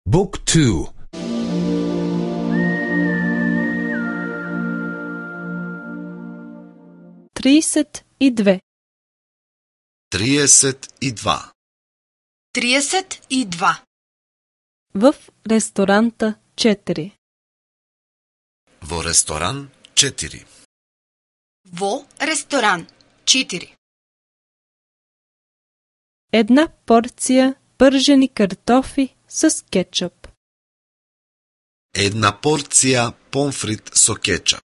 Book 2. 32. 32. 32. В ресторанта 4. Во ресторан 4. Во ресторан 4. Една порција пържени картофи с кетчуп. Една порција помфрит со кетчап.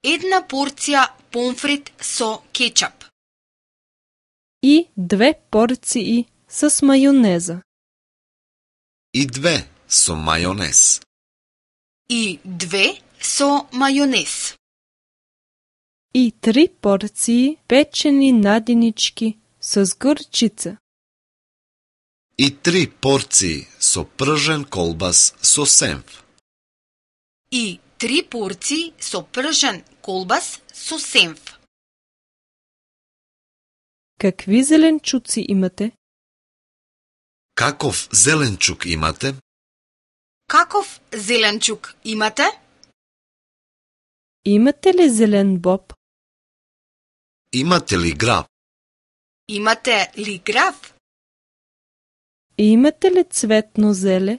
Една порција помфрит со кетчап. И 2 порции с мајонеза. И 2 со мајонез. И 2 со мајонез. И 3 порции печени надинички с горчица. И 3 порции со пржен колбас со сенф. И 3 порции со пржен колбас со сенф. Какви зеленчуци имате? Каков зеленчук имате? Каков зеленчук имате? Имате ли зелен боб? Имате ли граб? Имате ли граф? Имате ли цветно зеле?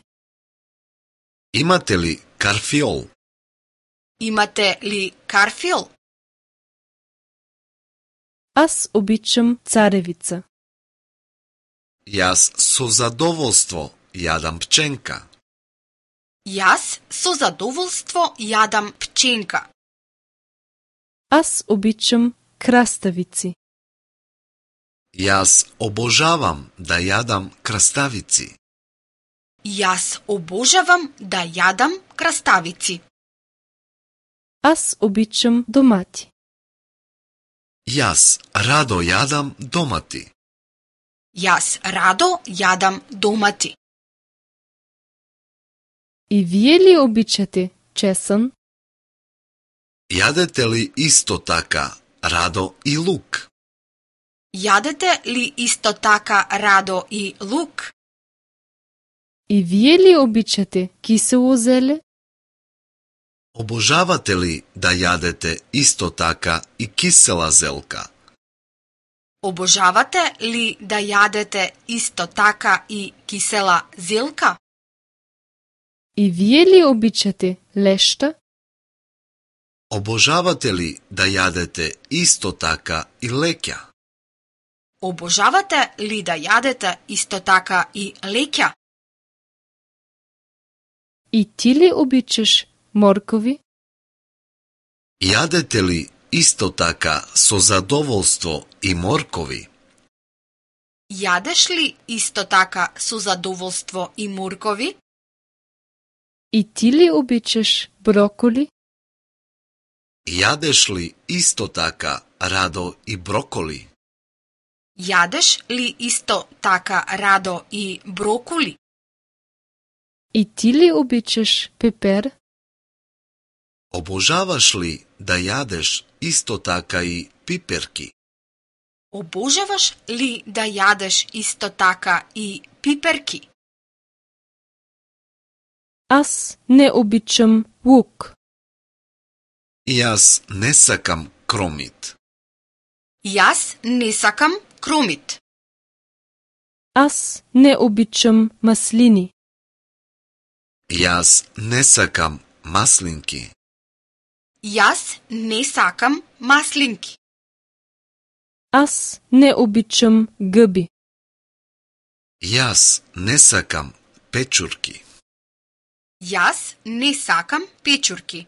Имате ли карфиол? Имате ли карфил? Аз обичам царевица. Јас со задоволство јадам пченка. Јас со задоволство јадам пченка. Аз обичам краставици. Јас обожавам да јадам краставици. Јас обожавам да јадам краставици. Аз обичам домати. Јас радо јадам домати. Јас радо јадам домати. И вие ли обичате чесон? Јадете ли исто така радо и лук? Јадете ли исто така радо и лук? И вие ли обичате кисело зеле? Обожавате ли да јадете исто така и кисела зелка? Обожавате ли да јадете исто така и кисела зелка? И вие ли обичате лешта? Обожавате ли да јадете исто така и леќа? Обожавате ли да јадете исто така и леќа? И ти ли обичаш моркови? Јадете ли исто така со задоволство и моркови? Јадеш ли исто така со задоволство и моркови? И ти ли обичаш броколи? Јадеш ли исто така радо и броколи? Јадеш ли исто така радо и броколи? И ти ли обичаш пепер? Обожаваш ли да јадеш исто така и пиперки? Обожаваш ли да јадеш исто така и пиперки? Аз не обичам лук. Јас не сакам кромит. Јас не сакам кромит. Аз не обичам маслини. Јас не сакам маслинки. Јас не сакам маслинки. Аз не обичам гъби. Јас не сакам печурки. Јас не сакам печурки.